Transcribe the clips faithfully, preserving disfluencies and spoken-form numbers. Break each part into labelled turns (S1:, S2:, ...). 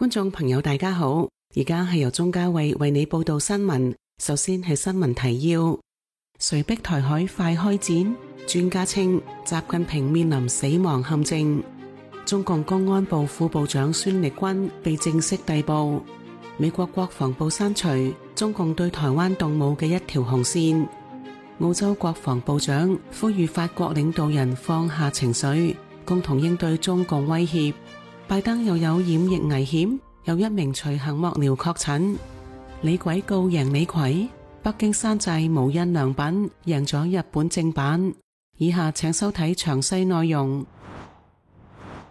S1: 觀眾朋友大家好，而家係由鍾嘉慧為你報道新聞。首先係新聞提要：誰逼台海快開戰？專家稱習近平面臨死亡陷阱。中共公安部副部長孫力軍被正式逮捕。美國國防部刪除中共對台灣動武嘅一條紅線。澳洲國防部長呼籲法國領導人放下情緒，共同應對中共威脅。拜登又有染疫危險，有一名隨行幕僚確診。李鬼告贏李逵，北京山寨無印良品贏咗日本正版。以下請收睇詳細內容。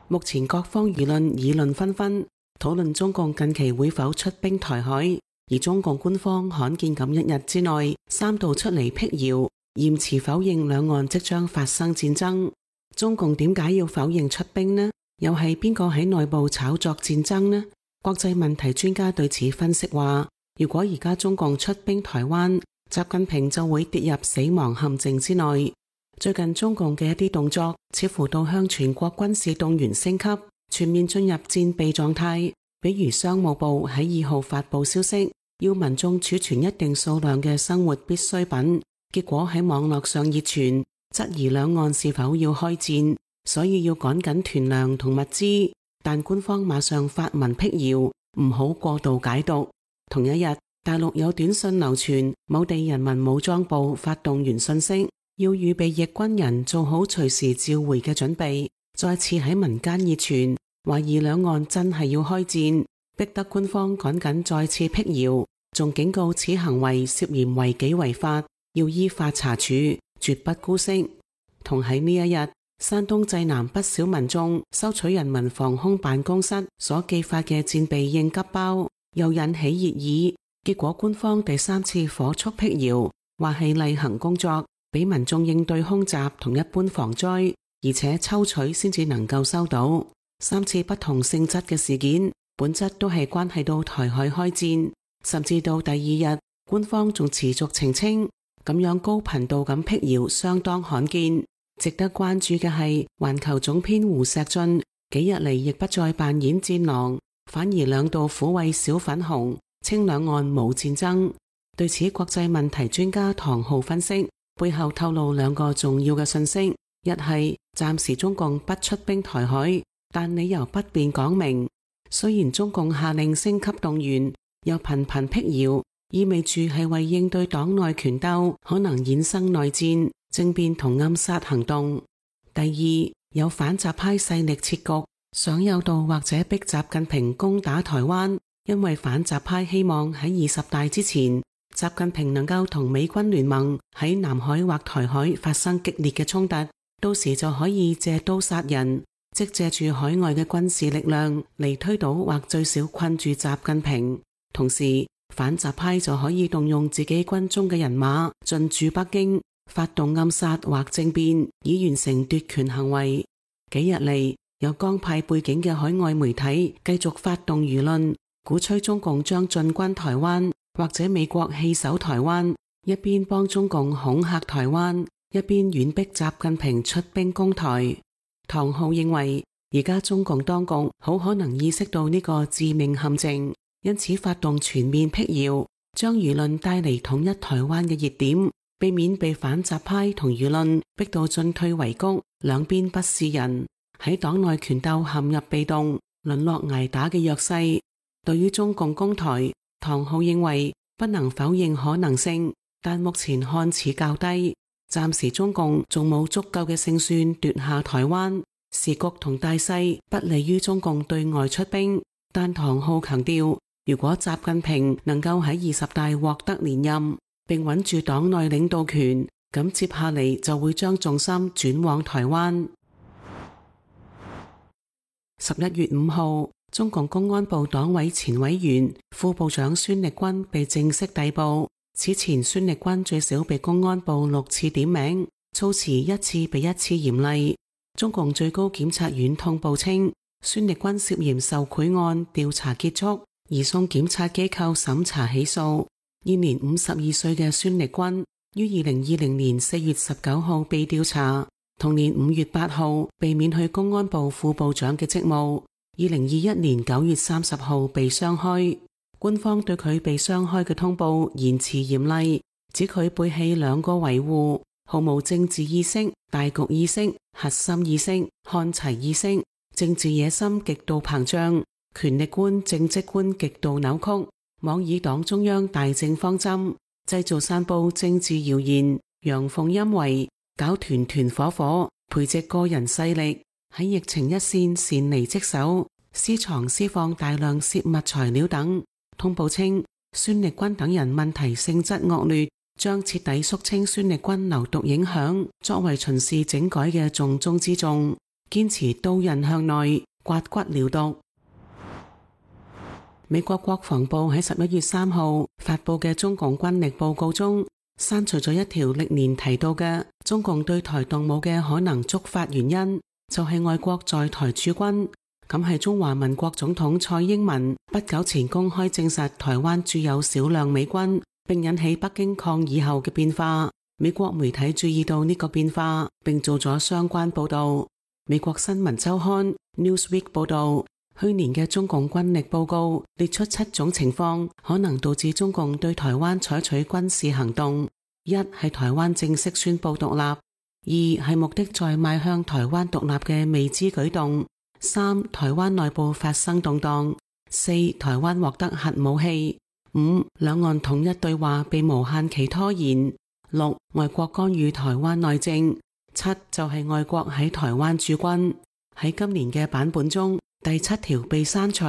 S1: 目前各方輿論議論紛紛，討論中共近期會否出兵台海，而中共官方罕見咁一日之內三度出嚟闢謠，嚴詞否認兩岸即將發生戰爭。中共點解要否認出兵呢？又係邊個喺內部炒作戰爭呢？國際問題專家對此分析話，如果而家中共出兵台灣，習近平就會跌入死亡陷阱之內。最近中共嘅一啲動作似乎到向全國軍事動員升級，全面進入戰備狀態。比如商務部喺二號發布消息，要民眾儲存一定數量嘅生活必需品，結果喺網絡上熱傳，質疑兩岸是否要開戰，所以要趕緊囤糧同物資。但官方馬上發文闢謠，唔好過度解讀。同一日，大陸有短信流傳，某地人民武裝部發動員信息，要預備役軍人做好隨時召回嘅準備。再次喺民間熱傳，懷疑兩岸真係要開戰，逼得官方趕緊再次闢謠，仲警告此行為涉嫌違紀違法，要依法查處，絕不姑息。同喺呢一日，山東濟南不少民眾收取人民防空辦公室所寄發嘅戰備應急包，又引起熱議。結果官方第三次火速闢謠，話係例行工作，俾民眾應對空襲同一般防災，而且抽取先至能夠收到。三次不同性質嘅事件，本質都係關係到台海開戰。甚至到第二日，官方仲持續澄清，咁樣高頻度咁闢謠相當罕見。值得關注嘅係，環球總編胡錫進幾日嚟亦不再扮演戰狼，反而兩度撫慰小粉紅，稱兩岸冇戰爭。對此，國際問題專家唐浩分析，背後透露兩個重要嘅信息：一係暫時中共不出兵台海，但理由不便講明。雖然中共下令升級動員，又頻頻闢謠，意味住係為應對黨內權鬥可能衍生內戰、政變同暗殺行動。第二，有反習派勢力設局，想誘導或者逼習近平攻打台灣，因為反習派希望喺二十大之前，習近平能夠同美軍聯盟喺南海或台海發生激烈嘅衝突，到時就可以借刀殺人，即借住海外嘅軍事力量嚟推倒或最少困住習近平。同時，反習派就可以動用自己軍中嘅人馬進駐北京，發動暗殺或政變，以完成奪權行為。幾日嚟，有江派背景嘅海外媒體繼續發動輿論，鼓吹中共將進軍台灣，或者美國棄守台灣，一邊幫中共恐嚇台灣，一邊遠逼習近平出兵攻台。唐浩認為，而家中共當局好可能意識到呢個致命陷阱，因此發動全面闢謠，將輿論帶嚟統一台灣嘅熱點，避免被反習派同輿論逼到進退維谷，兩邊不是人，喺黨內權鬥陷入被動、淪落挨打嘅弱勢。對於中共攻台，唐浩認為不能否認可能性，但目前看似較低。暫時中共仲冇足夠嘅勝算奪下台灣，時局同大勢不利於中共對外出兵。但唐浩強調，如果習近平能夠喺二十大獲得連任，並穩住黨內領導權，咁接下嚟就會將重心轉往台灣。十一月五號，中共公安部黨委前委員、副部長孫力軍被正式逮捕。此前孫力軍最少被公安部六次點名，措辭一次比一次嚴厲。中共最高檢察院通報稱，孫力軍涉嫌受賄案調查結束，移送檢察機構審查起訴。現年五十二歲嘅孫力軍於二零二零年四月十九號被調查，同年五月八號被免去公安部副部長嘅職務。二零二一年九月三十號被雙開。官方對佢被雙開嘅通報言辭嚴厲，指佢背棄兩個維護，毫無政治意識、大局意識、核心意識、看齊意識，政治野心極度膨脹，權力觀、政績觀極度扭曲，妄以黨中央大政方針，製造散佈政治謠言，陽奉陰違，搞團團伙伙，培植個人勢力，喺疫情一線擅離職守，私藏私放大量泄密材料等。通報稱，孫力軍等人問題性質惡劣，將徹底肅清孫力軍流毒影響，作為巡視整改嘅重中之重，堅持刀刃向內，刮骨療毒。美國國防部喺十一月三號發佈嘅中共軍力報告中，刪除咗一條歷年提到嘅中共對台動武嘅可能觸發原因，就係外國在台駐軍。咁係中華民國總統蔡英文不久前公開證實台灣駐有少量美軍，並引起北京抗議後嘅變化。美國媒體注意到呢個變化，並做咗相關報道。美國新聞週刊 Newsweek 報道，去年嘅中共軍力報告列出七種情況，可能導致中共對台灣採取軍事行動。一係台灣正式宣布獨立；二係目的在邁向台灣獨立嘅未知舉動。三、台灣內部發生動盪；四、台灣獲得核武器；五、兩岸統一對話被無限期拖延；六、外國干預台灣內政；七就係外國喺台灣駐軍。喺今年嘅版本中，第七條被刪除。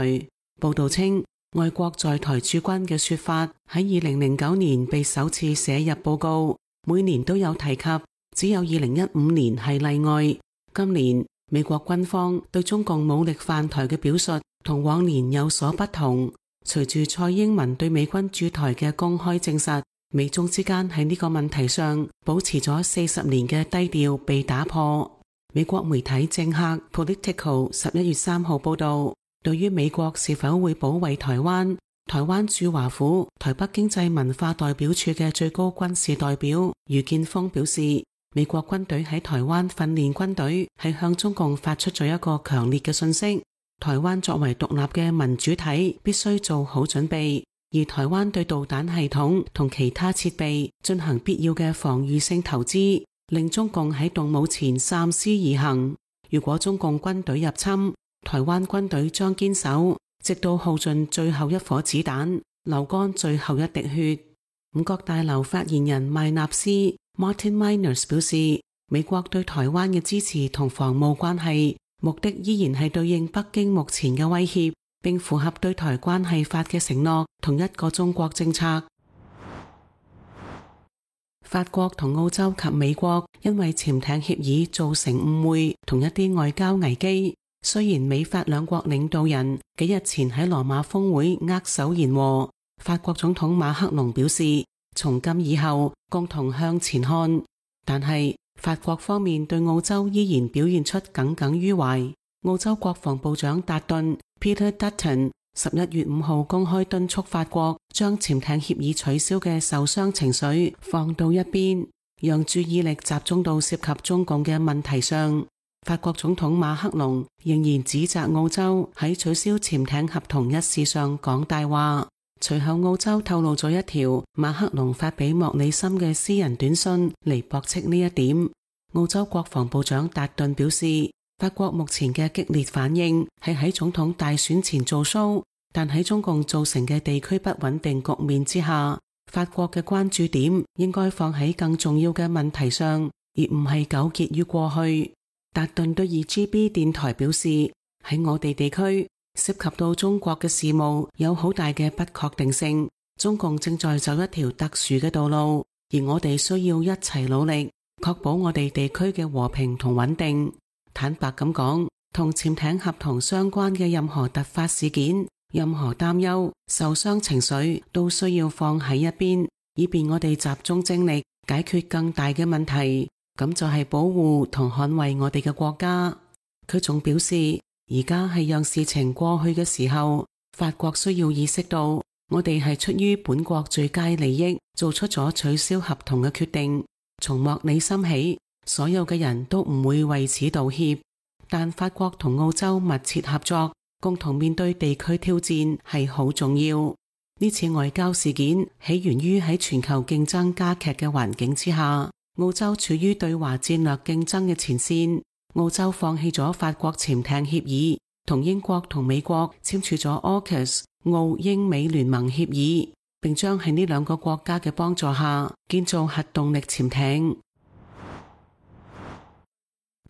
S1: 報道稱，外國在台駐軍嘅說法喺二零零九年被首次寫入報告，每年都有提及，只有二零一五年係例外。今年美國軍方對中共武力犯台嘅表述同往年有所不同。隨住蔡英文對美軍駐台嘅公開證實，美中之間喺呢個問題上保持咗四十年嘅低調被打破。美國媒體政客 Politico 十一月三號報道，對於美國是否會保衛台灣，台灣駐華府台北經濟文化代表處嘅最高軍事代表余建峰表示，美國軍隊喺台灣訓練軍隊係向中共發出咗一個強烈嘅訊息，台灣作為獨立嘅民主體必須做好準備，而台灣對導彈系統同其他設備進行必要嘅防禦性投資，令中共喺動武前三思而行。如果中共軍隊入侵，台灣軍隊將堅守，直到耗盡最後一顆子彈，流乾最後一滴血。五角大樓發言人麥納斯 Martin Miners 表示，美國對台灣嘅支持同防務關係目的依然係對應北京目前嘅威脅，並符合對台關係法嘅承諾同一個中國政策。法國同澳洲及美國因為潛艇協議造成誤會同一啲外交危機，雖然美法兩國領導人幾日前喺羅馬峰會握手言和，法國總統馬克龍表示從今以後共同向前看，但係法國方面對澳洲依然表現出耿耿於懷。澳洲國防部長達頓 Peter Dutton 十一月五號公開敦促法國將潛艇協議取消嘅受傷情緒放到一邊，讓注意力集中到涉及中共嘅問題上。法國總統馬克龍仍然指責澳洲喺取消潛艇合同一事上講大話。隨後澳洲透露咗一條馬克龍發俾莫里森嘅私人短信嚟駁斥呢一點。澳洲國防部長達頓表示，法國目前嘅激烈反應係喺總統大選前做 show， 但喺中共造成嘅地區不穩定局面之下，法國嘅關注點應該放喺更重要嘅問題上，而唔係糾結於過去。達頓對 二 G B 電台表示，喺我哋地區涉及到中國嘅事務有好大嘅不確定性，中共正在走一條特殊嘅道路，而我哋需要一齊努力，確保我哋地區嘅和平同穩定。坦白咁講，同潛艇合同相關嘅任何突發事件、任何擔憂、受傷情緒都需要放喺一邊，以便我哋集中精力解決更大嘅問題，咁就係保護同捍衛我哋嘅國家。佢仲表示，而家係讓事情過去嘅時候，法國需要意識到，我哋係出於本國最佳利益，做出咗取消合同嘅決定。從莫里森起，所有嘅人都唔會為此道歉，但法國同澳洲密切合作，共同面對地區挑戰係好重要。呢次外交事件起源於喺全球競爭加劇嘅環境之下，澳洲處於對華戰略競爭嘅前線。澳洲放棄咗法國潛艇協議，同英國同美國簽署咗 AUKUS 澳英美聯盟協議，並將喺呢兩個國家嘅幫助下建造核動力潛艇。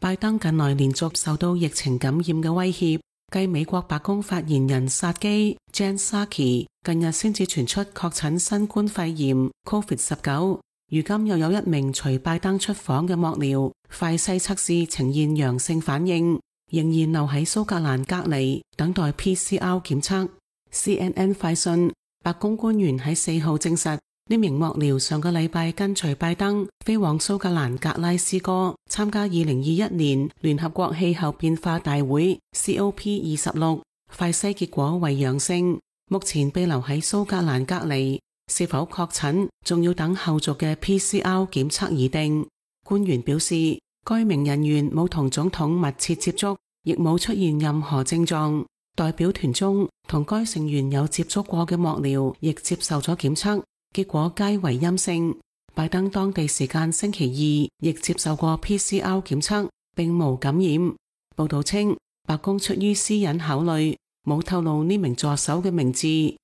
S1: 拜登近來連續受到疫情感染嘅威脅，繼美國白宮發言人薩基 Jen Psaki 近日先至傳出確診新冠肺炎 COVID 十九， 如今又有一名隨拜登出訪嘅幕僚快篩測試呈現陽性反應，仍然留喺蘇格蘭隔離等待 P C R 檢測。C N N 快訊，白宮官員喺四號證實，呢名幕僚上個禮拜跟隨拜登飛往蘇格蘭格拉斯哥參加二零二一年聯合國氣候變化大會 C O P 二十六， 快篩結果為陽性，目前被留喺蘇格蘭隔離，是否確診仲要等後續嘅 P C R 檢測而定。官員表示，該名人員冇同總統密切接觸，亦冇出現任何症狀。代表團中同該成員有接觸過嘅幕僚亦接受咗檢測，結果皆為陰性。拜登當地時間星期二亦接受過 P C R 檢測，並無感染。報道稱，白宮出於私隱考慮，冇透露呢名助手嘅名字。喺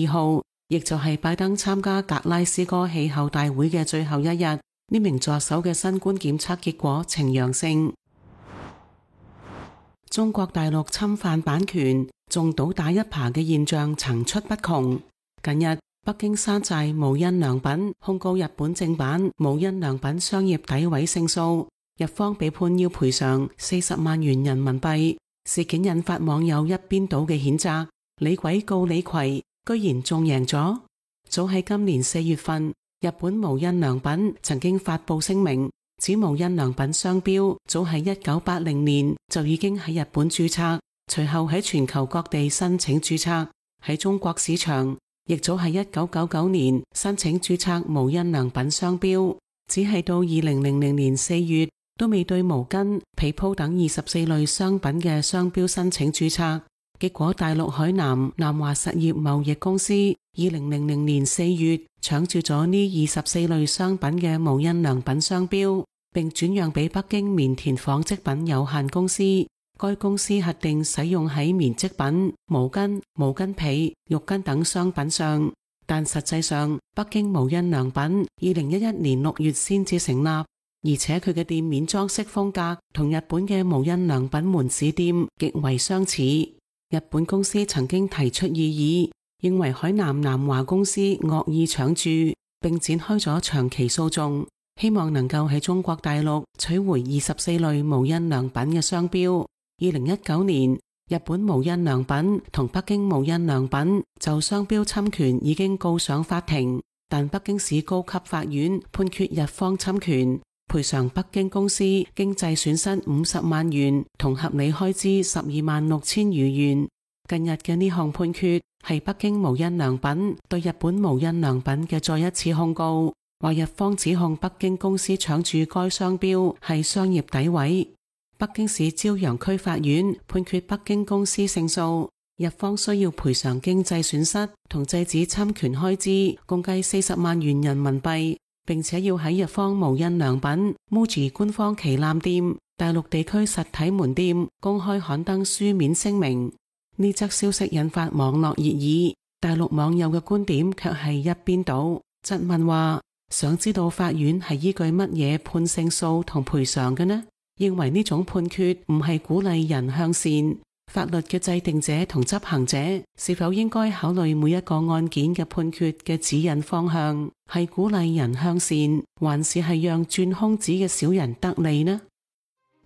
S1: 二號，亦就係拜登參加格拉斯哥氣候大會嘅最後一日，呢名助手嘅新冠檢測結果呈陽性。中國大陸侵犯版權、仲倒打一耙嘅現象層出不窮。近日，北京山寨無印良品控告日本正版無印良品商業詆毀勝訴，日方被判要賠償四十萬元人民幣。事件引發網友一邊倒嘅譴責，李鬼告李逵，居然仲贏咗。早喺今年四月份，日本無印良品曾經發布聲明，指無印良品商標早喺一九八零年就已經喺日本註冊，隨後喺全球各地申請註冊，喺中國市場亦早喺一九九九年申請註冊無印良品商標，只係到二零零零年四月都未對毛巾、被鋪等二十四類商品嘅商標申請註冊。結果大陸海南南華實業貿易公司二零零零年四月搶注咗呢二十四類商品嘅無印良品商標，並轉讓俾北京棉田紡織品有限公司。該公司核定使用喺棉織品、毛巾、毛巾被、浴巾等商品上，但實際上北京無印良品二零一一年六月先至成立，而且佢嘅店面裝飾風格同日本嘅無印良品門市店極為相似。日本公司曾經提出異議，認為海南南華公司惡意搶注，並展開咗長期訴訟，希望能夠喺中國大陸取回二十四類無印良品嘅商標。二零一九年，日本無印良品同北京無印良品就商標侵權已經告上法庭，但北京市高級法院判決日方侵權，賠償北京公司經濟損失五十萬元同合理開支十二萬六千餘元。近日嘅呢項判決係北京無印良品對日本無印良品嘅再一次控告，話日方指控北京公司搶注該商標係商業詆毀。北京市朝陽區法院判決北京公司勝訴，日方需要賠償經濟損失同制止侵權開支，共計四十萬元人民幣，並且要喺日方無印良品 Muji 官方旗艦店、大陸地區實體門店公開刊登書面聲明。呢則消息引發網絡熱議，大陸網友嘅觀點卻係一邊倒，質問話：想知道法院係依據乜嘢判勝訴同賠償嘅呢？認為呢種判決唔係鼓勵人向善，法律嘅制定者同執行者是否應該考慮每一個案件嘅判決嘅指引方向，係鼓勵人向善，還是係讓鑽空子嘅小人得利呢？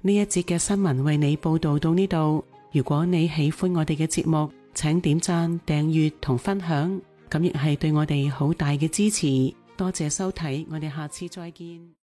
S1: 呢一節嘅新聞為你報道到呢度。如果你喜歡我哋嘅節目，請點讚、訂閱同分享，咁亦係對我哋好大嘅支持。多謝收睇，我哋下次再見。